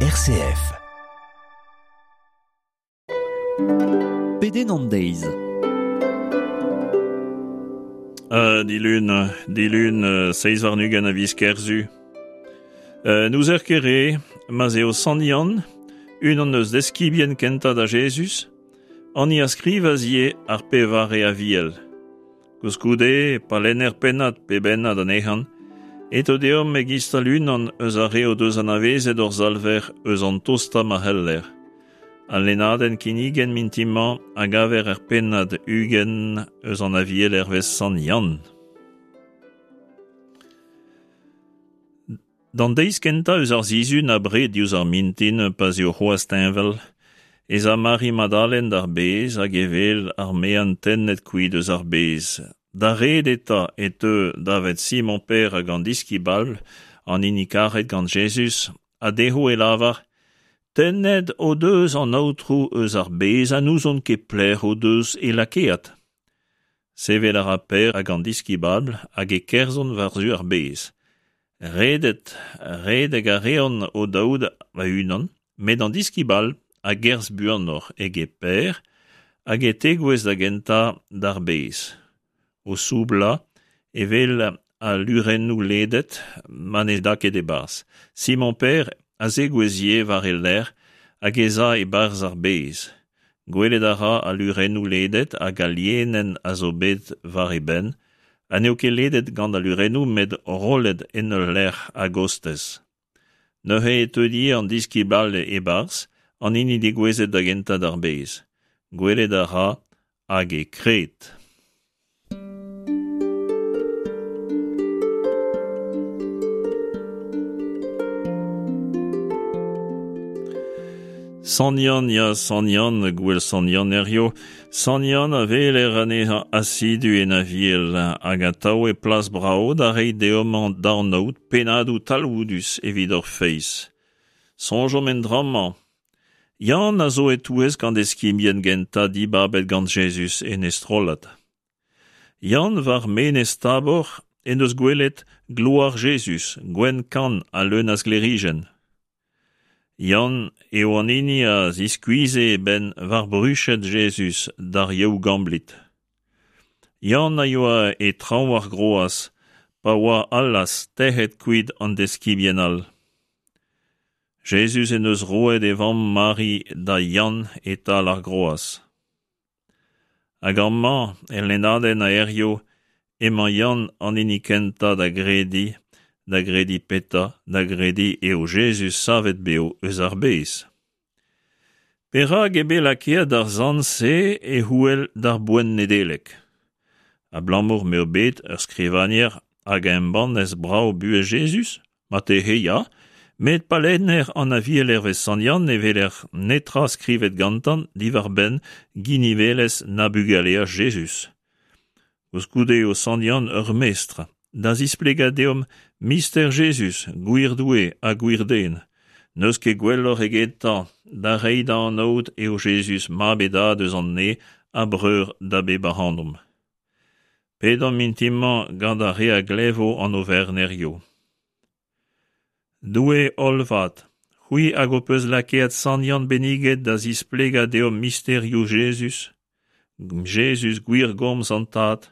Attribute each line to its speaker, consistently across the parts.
Speaker 1: RCF.
Speaker 2: Pedenn an deiz.
Speaker 3: Dilun, dilun 27 a viz Kerzu. N'ouzer ket re, ma'z eo Sant Yann, unan eus deskibien kentañ da Jezuz, an hini a skrivas ivez ar pevare Aviel. Koulskoude, pa lenner pennad pe bennad anezhañ, e teu deomp e-giz-tal unan eus ar re o deus anavezet hor Salver eus an tostañ ma c'heller. Al lennadenn kinniget mintin-mañ a gaver er pennad 20 eus an Aviel hervez Sant Yann. D'an deiz kentañ eus ar sizhun abred diouzh ar mintin pa'z eo c'hoazh teñval, ez a Mari Madalen d'ar bez hag e wel ar mean tennet kuit eus ar bez. D'ar red eta e teu davet Simon-Pêr hag an diskibl all, an hini karet gant Jezuz, ha dezho e lavar: Tennet o deus an Aotrou eus ar bez ha n'ouzon ket pelec'h o deus e lakaet. Sevel a ra Pêr hag an diskibl all hag e kerzhont war-zu ar bez. Redet, redek a reont o-daou a-unan, met an diskibl all a gerzh buanoc'h eget Pêr hag e tegouezh da gentañ d'ar bez. O soublañ e wel al lurennoù ledet ma ne da ket e-barzh. Simon-Pêr a zegouezh ivez war e lerc'h hag ez a e-barzh ar bez. Gwelet a ra al lurennoù ledet hag al lienenn a zo bet war e benn, ha n'eo ket ledet gant al lurennoù met rollet en ul lec'h a-gostez. Neuze e teu ivez an diskibl all e-barzh, an hini degouezhet da gentañ d'ar bez. Gwelet a ra hag e kred. Sant Yann, ya, Sant Yann, gouel Sant Yann hiziv. Sant Yann a weler anezhañ asidu en Aviel hag atav e plas brav da reiñ deomp da anaout pennadoù talvoudus evit hor feiz. Soñjomp en dra-mañ. Yann a zo e-touesk an deskibien gentañ dibabet gant Jezuz en e strollad. Yann war menez Tabor en deus gwelet gloar Jezuz, gwenn-kann ha leun a sklêrijenn. Yann eo an hini a ziskuizhe e benn war bruched Jezuz d'ar Yaou-Gamblid. Yann a yoa e traoñ ar groaz pa oa allaz tec'het kuit an deskibien all. Jezuz en deus roet e vamm Mari da Yann e-tal ar groaz. Hag amañ, el lennadenn a hiziv, emañ Yann an hini kentañ da grediñ, da grediñ petra, da grediñ eo Jezuz savet bev eus ar bez. Perak eo bet lakaet ar sant-se e c'houel d'ar boent Nedeleg? Abalamour m'eo bet ur skrivagner hag a embannas brav buhez Jezuz? Marteze ya, met pa lenner an Aviel hervez Sant Yann ne weler netra skrivet gantañ diwar-benn ginivelezh na bugaleaj Jezuz. Koulskoude eo Sant Yann ur mestr da zisplegañ deomp mister Jezuz, gwir Doue ha gwir den. N'eus ket gwelloc'h egetañ da reiñ da anaout eo Jezuz mab e dad eus an neñv ha breur da bep ac'hanomp. Pedomp mintin-mañ gant ar re a glevo an oferenn hiziv. Doue hollvat, c'hwi hag ho peus lakaet Sant Yann benniget da zisplegañ deomp misterioù Jezuz, Jezuz gwir gomz an Tad,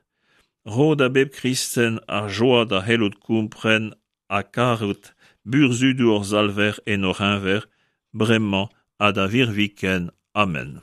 Speaker 3: ro da bep kristen ar joa da c'hellout kompren ha karout burzhudoù hor Salver en hor c'heñver, bremañ ha da virviken. Amen.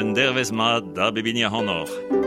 Speaker 3: Un dervezh mat da bep hini ac'hanoc'h.